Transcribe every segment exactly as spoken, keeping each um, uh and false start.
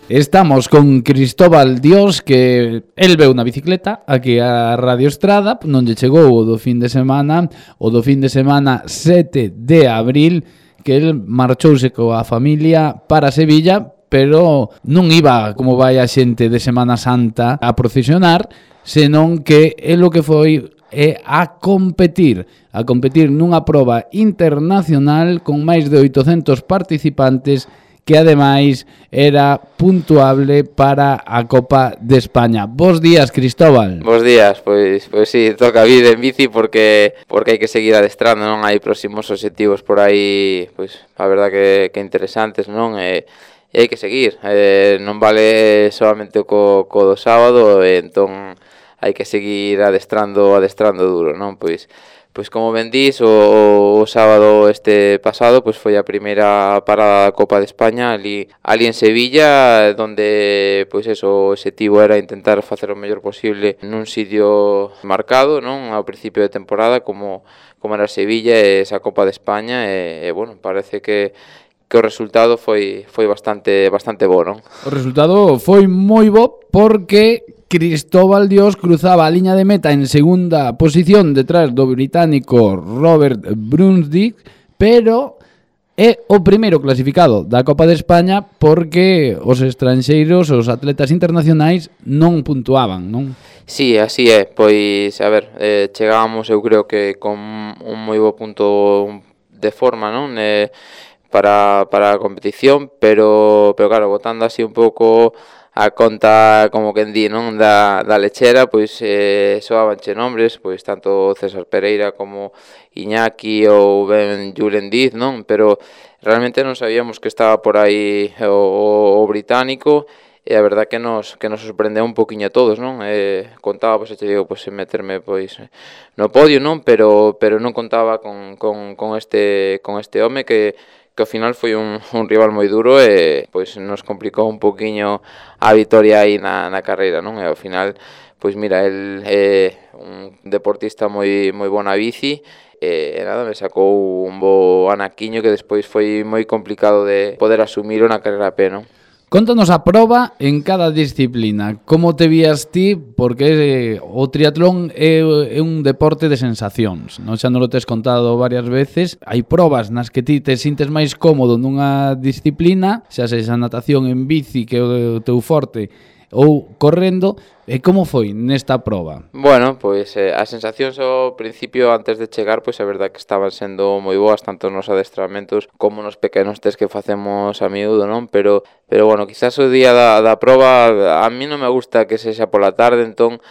Estamos con Cristóbal Dios, que el veu na bicicleta aquí a Radio Estrada, non lle chegou o do fin de semana, o do fin de semana sete de abril, que el marchouse coa familia para Sevilla, pero non iba como vai a xente de Semana Santa a procesionar, senón que el o que foi é a competir, a competir nunha proba internacional con máis de oitocentos participantes, que ademais era puntuable para a Copa de España. Bos días, Cristóbal. Bos días, pois pois si, sí, toca vir en bici porque porque hai que seguir adestrando, non? Hai próximos obxectivos por aí, pois a verdad que que interesantes, non? E, e hai que seguir, eh, non vale solamente co co do sábado, e entón hai que seguir adestrando, adestrando duro, non? Pois Pois como ben dís, o, o sábado este pasado pois foi a primeira parada da Copa de España ali, ali en Sevilla, donde pois eso, o objetivo era intentar facer o mellor posible nun sitio marcado, non? Ao principio de temporada, como, como era Sevilla e esa Copa de España, e, e bueno, parece que que o resultado foi foi bastante bastante bo, non? O resultado foi moi bo porque Cristóbal Dios cruzaba a liña de meta en segunda posición detrás do británico Robert Brunswick, pero é o primeiro clasificado da Copa de España porque os estranxeiros, os atletas internacionais non puntuaban, non? Sí, así é, pois, a ver, eh, chegábamos, eu creo que con un moi bo punto de forma, non? Eh, para, para a competición, pero, pero claro, botando así un pouco a conta, como quen di, non, da, da lechera, pois eh, soabanche nombres, pois tanto César Pereira como Iñaki ou ben Julen Diz, non? Pero realmente non sabíamos que estaba por aí o, o británico, e a verdad que nos que nos sorprendeu un poquinho a todos, non? Eh, contaba, pois, te digo, pois, meterme pois no podio, non? Pero pero non contaba con, con, con este con este home que que ao final foi un, un rival moi duro e pois nos complicou un poquinho a vitoria aí na, na carreira, non? E ao final, pois mira, el é un deportista moi moi bona bici, e nada, me sacou un bo anaquiño que despois foi moi complicado de poder asumilo na carreira a pé, non? Contanos a proba en cada disciplina. Como te vías ti? Porque eh, o triatlón é, é un deporte de sensacións, non? Xa non lo tes contado varias veces. Hai probas nas que ti te sintes máis cómodo nunha disciplina, xa sexa natación en bici, que é o teu forte, ou correndo. E como foi nesta proba? Bueno, pois eh, as sensacións ao principio antes de chegar, pois a verdad que estaban sendo moi boas tanto nos adestramentos como nos pequenos test que facemos a miúdo, non? Pero pero bueno, quizás o día da, da proba a mí non me gusta que sexa pola tarde, entón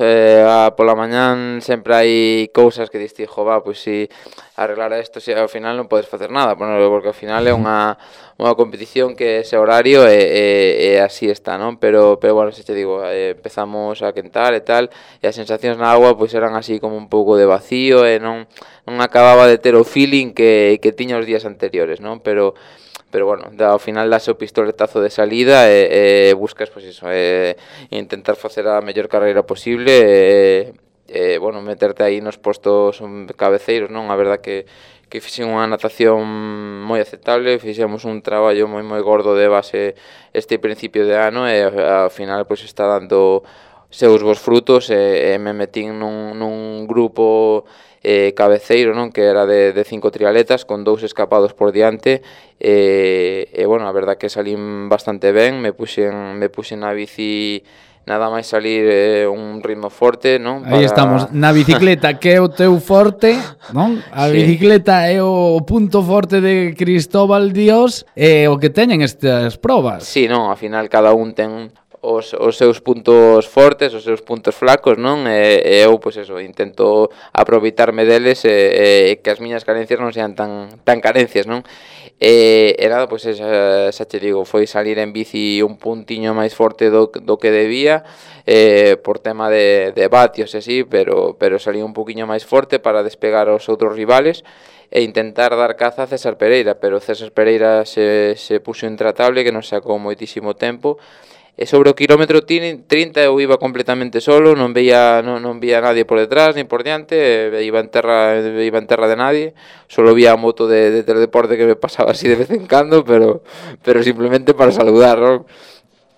eh, a, pola mañán sempre hai cousas que diste, jo, va, pois si arreglar isto, si ao final non podes facer nada, porque ao final é unha unha competición que ese horario e, e, e así está, non? Pero pero bueno, se te digo, eh, empezamos a quentar e tal, e as sensacións na agua pois eran así como un pouco de vacío e non non acababa de ter o feeling que que tiña os días anteriores, non? Pero pero bueno, da, ao final das o pistoletazo de salida e, e buscas, pois iso, e, intentar facer a mellor carreira posible e, e, bueno, meterte aí nos postos cabeceiros, non? A verdad que que fixen unha natación moi aceptable, fixemos un traballo moi moi gordo de base este principio de ano e ao final pois está dando seus bons frutos e, e me metín nun, nun grupo eh, cabeceiro, non? Que era de, de cinco trialetas con dous escapados por diante e, e bueno, a verdad que salín bastante ben, me puxen, me puxen na bici nada máis salir eh, un ritmo forte, non? Para... Aí estamos, na bicicleta que é o teu forte, non? A sí. Bicicleta é o punto forte de Cristóbal Dios e o que teñen estas probas. Sí, non, ao final cada un ten os, os seus puntos fortes, os seus puntos flacos, non? E, e eu, pois eso, intento aproveitarme deles e, e que as miñas carencias non sean tan, tan carencias, non? E, e nada, pois xa, xa te digo, foi salir en bici un puntiño máis forte do, do que debía, eh, por tema de, de vatios e así, pero, pero salí un poquinho máis forte para despegar aos outros rivales e intentar dar caza a César Pereira, pero César Pereira se, se puxo intratable, que nos sacou moitísimo tempo. E sobre o quilómetro trinta eu iba completamente solo, non veía non, non veía nadie por detrás ni por diante, iba en terra iba en terra de nadie, solo vía a moto de, de Teledeporte que me pasaba así de vez en cando, pero pero simplemente para saludar, ¿no?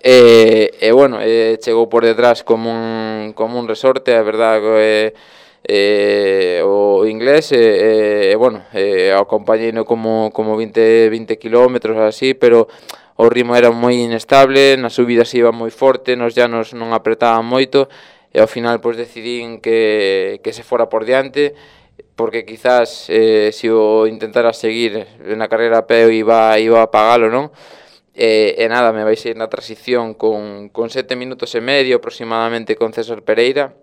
E, e bueno, e chegou por detrás como un, como un resorte, a verdad, e, e, o inglés, e, e bueno, e, acompañeino como, como vinte, vinte kilómetros así, pero o ritmo era moi inestable, nas subidas iba moi forte, nos llanos non apretaban moito, e ao final pois decidín que, que se fora por diante, porque quizás eh, se o intentara seguir na carreira a pé iba, iba a pagalo, non? E, e nada, me baixei na transición con, con sete minutos e medio aproximadamente con César Pereira,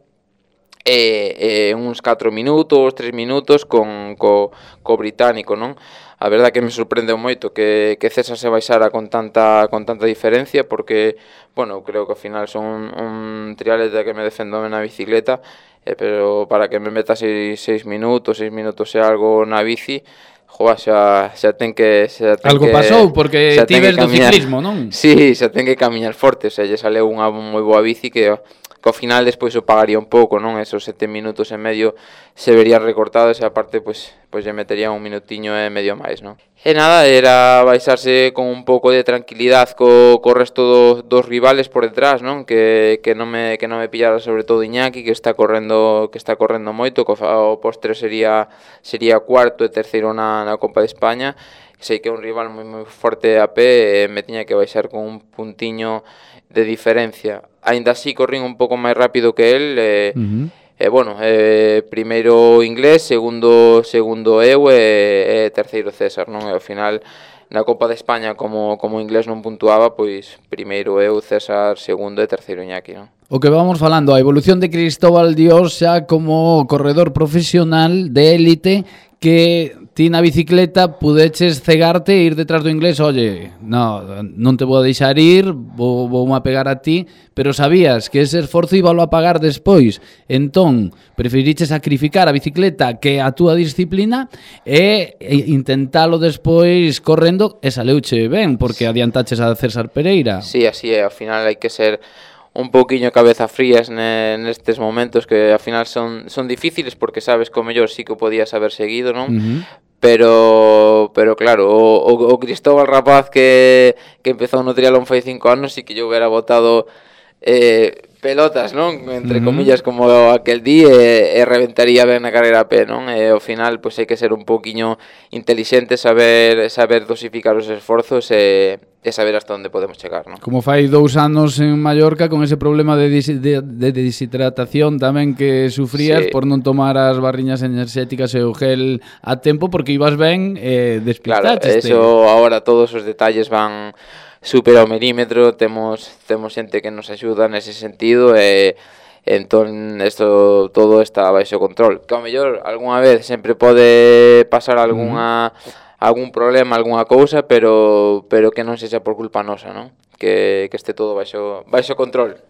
e, e uns catro minutos, tres minutos con co, co británico, non? A verdad que me sorprendeu moito que, que César se baixara con tanta con tanta diferencia, porque, bueno, creo que ao final son un, un triatleta que me defendo na bicicleta, eh, pero para que me meta seis, seis minutos, seis minutos e algo na bici, joa, xa, xa ten que... Xa ten Algo que, pasou, porque ti ves do ciclismo, non? Sí, xa ten que camiñar forte, o sea, lle saleu unha moi boa bici que, que ao final despois o pagaría un pouco, non? Esos sete minutos e medio se verían recortados e aparte, pois, pois lle metería un minutiño e medio máis, non? E nada, era baixarse con un pouco de tranquilidade co, co resto do, dos rivales por detrás, non? Que, que non me que non me pillara sobre todo Iñaki, que está correndo que está correndo moito, que o postre sería sería cuarto e terceiro na, na Copa de España. Sei que é un rival moi moi forte a pé e me tiña que baixar con un puntiño de diferencia. Aínda así corrín un pouco máis rápido que el, e uh-huh. E bueno, eh, primeiro inglés, segundo segundo eu e, e terceiro César, non? E ao final na Copa de España como como inglés non puntuaba, pois primeiro eu, César segundo e terceiro Iñaki, non? O que vamos falando, a evolución de Cristóbal Dios xa como corredor profesional de élite, que ti na bicicleta pudeches cegarte e ir detrás do inglés, oye, no, non te vou a deixar ir, vou, vou a pegar a ti, pero sabías que ese esforzo íbalo a pagar despois, entón preferiche sacrificar a bicicleta que a túa disciplina e intentalo despois correndo, e saleuche ben, porque adiantaches a César Pereira. Sí, así é, ao final hai que ser un pouquiño cabeza frías nestes momentos que ao final son son difíciles, porque sabes que o mellor sí que o podías haber seguido, non? Uh-huh. Pero pero claro, o, o, o Cristóbal rapaz que, que empezou no triatlón fai cinco anos sí que yo hubiera botado eh, pelotas, non? Entre uh-huh. comillas, como aquel día, e, e reventaría ben na carreira a pé, non? E ao final, pois hai que ser un pouquiño inteligente, saber saber dosificar os esforzos e, e saber hasta onde podemos chegar, non? Como fai dous anos en Mallorca con ese problema de, dis, de, de deshidratación tamén que sufrías, sí, por non tomar as barriñas enerxéticas e o gel a tempo, porque ibas ben e eh, despistaste. Claro, eso agora todos os detalles van super ao milímetro, temos temos xente que nos axuda nese sentido e entón isto todo está baixo control. Que ao mellor algunha vez sempre pode pasar algunha uh-huh. algún problema, algunha cousa, pero pero que non sexa por culpa nosa, non? Que que este todo baixo baixo control.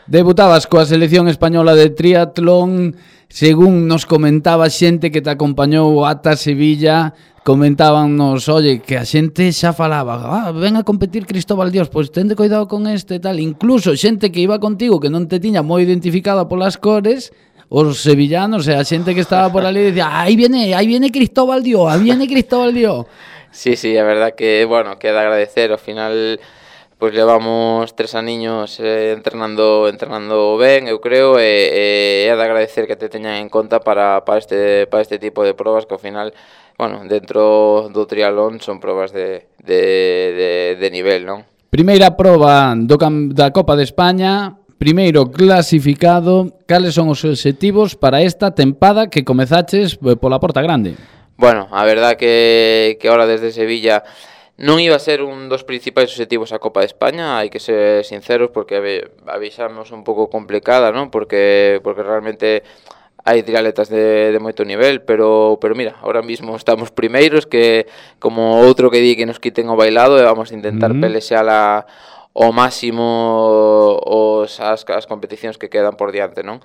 Debutabas coa selección española de triatlón, según nos comentaba xente que te acompañou ata Sevilla, comentábamos, oye, que a xente xa falaba, ah, ven a competir Cristóbal Dios, pois tende cuidado con este e tal, incluso xente que iba contigo que non te tiña moi identificada polas cores, os sevillanos, e a xente que estaba por ali decía, aí viene, aí viene Cristóbal Dios, aí viene Cristóbal Dios. Sí, sí, a verdad que, bueno, queda agradecer, ao final pois levamos tres aniños eh, entrenando entrenando ben, eu creo, e, e é de agradecer que te teñan en conta para, para, este, para este tipo de probas que ao final, bueno, dentro do triatlón son probas de, de, de, de nivel, non? Primeira proba do, da Copa de España, primeiro clasificado, cales son os obxectivos para esta tempada que comezaches pola Porta Grande? Bueno, a verdad que, que ahora desde Sevilla non iba a ser un dos principais obxectivos a Copa de España, hai que ser sinceros, porque a vexamos un pouco complicada, non? Porque porque realmente hai triatletas de, de moito nivel, pero pero mira, ahora mismo estamos primeiros, que como outro que di que nos quiten o bailado, e vamos a intentar uh-huh. pelexala ao máximo os as, as competicións que quedan por diante, non?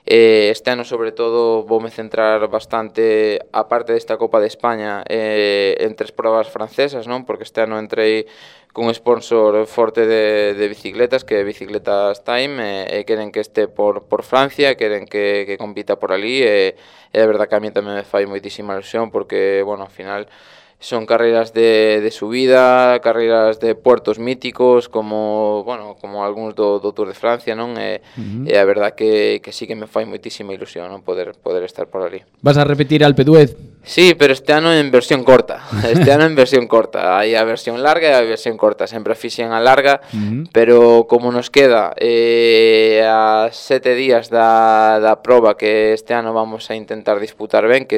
Eh, este ano, sobre todo, voume centrar bastante, a parte desta Copa de España, eh, en tres probas francesas, non? Porque este ano entrei cun sponsor forte de, de bicicletas, que é Bicicletas Time, e, e queren que este por, por Francia, queren que, que compita por ali, e, e de verdad que a mí tamén me fai moitísima ilusión, porque, bueno, ao final, son carreiras de, de subida, carreiras de puertos míticos como, bueno, como algúns do, do Tour de Francia, non? E, uh-huh. e a verdad que, que sí que me fai moitísima ilusión, non? Poder, poder estar por ali. Vas a repetir Alpe d'Huez? Sí, pero este ano en versión corta. Este ano en versión corta. Hai a versión larga e a versión corta. Sempre fixen a larga, uh-huh. pero como nos queda eh, a sete días da, da proba que este ano vamos a intentar disputar ben, que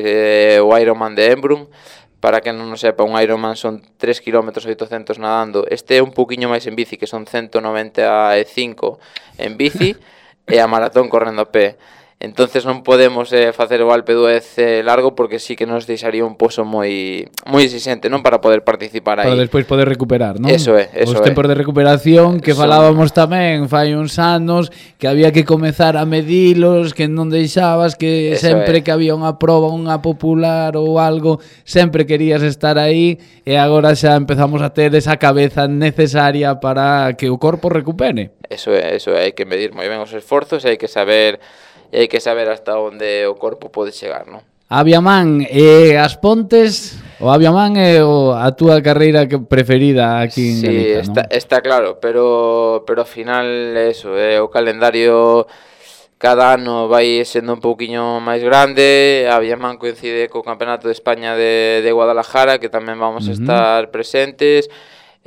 é o Ironman de Embrun. Para que non o sepa, un Ironman son tres kilómetros oitocentos nadando. Este é un poquinho máis en bici, que son ciento noventa e cinco en bici, e a maratón correndo a pé. Entonces non podemos eh, facer o Alpe d'Huez eh, largo porque sí que nos deixaría un pozo moi moi exigente, non, para poder participar aí. Para despois poder recuperar, non? Eso é, eso Os tempos é. de recuperación que Son... falábamos tamén fai uns anos, que había que comezar a medilos, que non deixabas, que eso sempre é. Que había unha proba, unha popular ou algo, sempre querías estar aí, e agora xa empezamos a ter esa cabeza necesaria para que o corpo recupere. Eso é, eso é, hai que medir moi ben os esforzos e hai que saber e hai que saber hasta onde o corpo pode chegar, non? Aviaman e as Pontes, o Aviaman é o, a túa carreira preferida aquí en sí, Galicia, está, non? está claro, pero pero ao final eso, é o calendario cada ano vai sendo un pouquiño máis grande. Aviaman coincide co Campeonato de España de, de Guadalajara, que tamén vamos uh-huh. a estar presentes.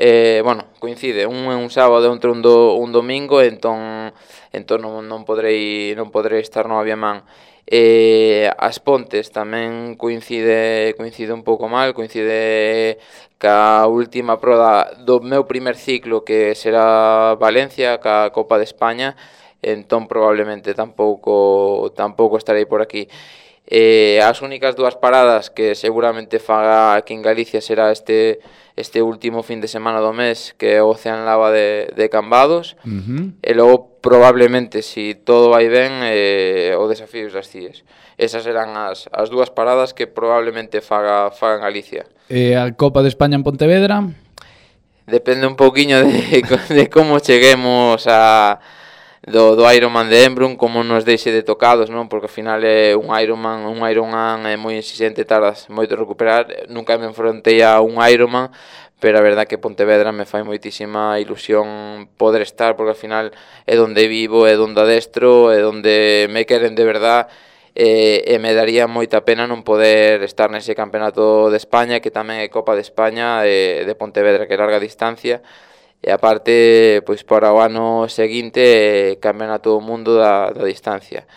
Eh, bueno, coincide, un é un sábado e outro un, do, un domingo, entón entón non, non podrei non podrei estar no Aviaman. Eh, as Pontes tamén coincide coincide un pouco mal, coincide ca última proba do meu primer ciclo, que será Valencia, ca Copa de España, entón probablemente tampouco tampouco estarei por aquí. Eh, as únicas dúas paradas que seguramente faga aquí en Galicia será este este último fin de semana do mes, que é o Ocean Lava de, de Cambados, uh-huh. e logo probablemente, si todo vai ben, eh, o Desafíos das Cíes. Esas serán as, as dúas paradas que probablemente faga, faga en Galicia. E a Copa de España en Pontevedra? Depende un pouquiño de, de como cheguemos a... do, do Ironman de Embrun, como nos deixe de tocados, non? Porque ao final é un Ironman, un Ironman é moi exigente, tardas moito a recuperar. Nunca me enfrontei a un Ironman, pero a verdad que Pontevedra me fai moitísima ilusión poder estar, porque ao final é donde vivo, é donde adestro, é donde me queren de verdad, e, e me daría moita pena non poder estar nese Campeonato de España, que tamén é Copa de España de, de Pontevedra, que é larga distancia. E aparte, pois para o ano seguinte Campeonato do Mundo da, da distancia.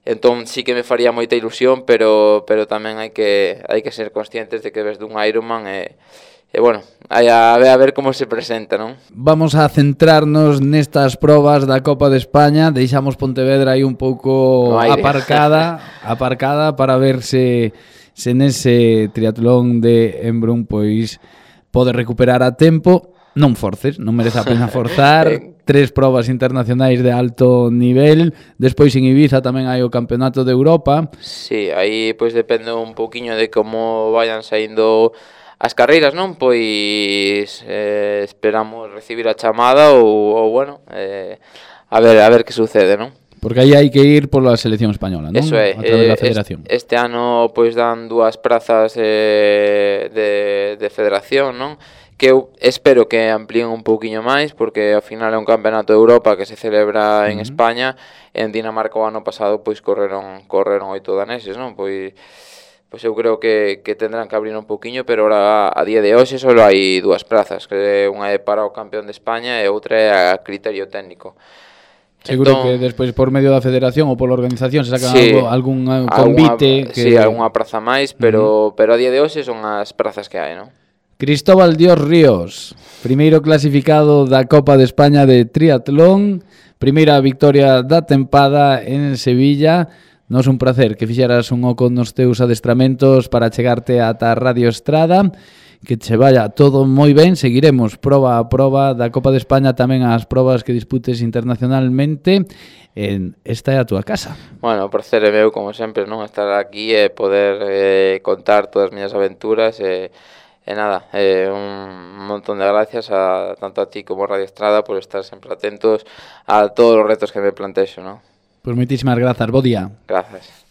Entón sí que me faría moita ilusión, pero pero tamén hai que hai que ser conscientes de que ves dun Ironman e e bueno, hai a ver a ver como se presenta, non? Vamos a centrarnos nestas probas da Copa de España, deixamos Pontevedra aí un pouco aparcada, aparcada para ver se se nese triatlón de Embrun pois pode recuperar a tempo. Non forces, non merece a pena forzar. Tres probas internacionais de alto nivel. Despois en Ibiza tamén hai o Campeonato de Europa. Sí, aí pois depende un pouquiño de como vayan saindo as carreiras, non? Pois eh, esperamos recibir a chamada ou, ou bueno, eh, a ver a ver que sucede, non? Porque aí hai que ir pola selección española, non? Eso é, a través eh, da federación. Este, este ano pois dan dúas prazas eh, de, de federación, non? Que eu espero que amplíen un pouquiño máis, porque ao final é un campeonato de Europa que se celebra en uh-huh. España. En Dinamarca o ano pasado pois correron correron oito daneses, non? Pois pois eu creo que que tendrán que abrir un pouquiño, pero ahora a día de hoxe só hai dúas prazas, que unha é para o campeón de España e outra é a criterio técnico. Seguro entón, que despois por medio da federación ou pola organización se saca sí, algo, algún convite alguna, que... Sí, algunha praza máis, pero uh-huh. pero a día de hoxe son as prazas que hai, non? Cristóbal Dios Ríos, primeiro clasificado da Copa de España de triatlón, primeira victoria da tempada en Sevilla. Nos un placer que fixeras un oco nos teus adestramentos para chegarte ata Radio Estrada. Que che vaya todo moi ben, seguiremos proba a proba da Copa de España, tamén as probas que disputes internacionalmente. En esta é a túa casa. Bueno, o placer é meu, como sempre, non estar aquí e poder eh, contar todas as miñas aventuras e E nada, eh, un montón de gracias a tanto a ti como a Radio Estrada por estar sempre atentos a todos os retos que me plantexo, ¿no? Pues moitísimas grazas, bo día. Gracias.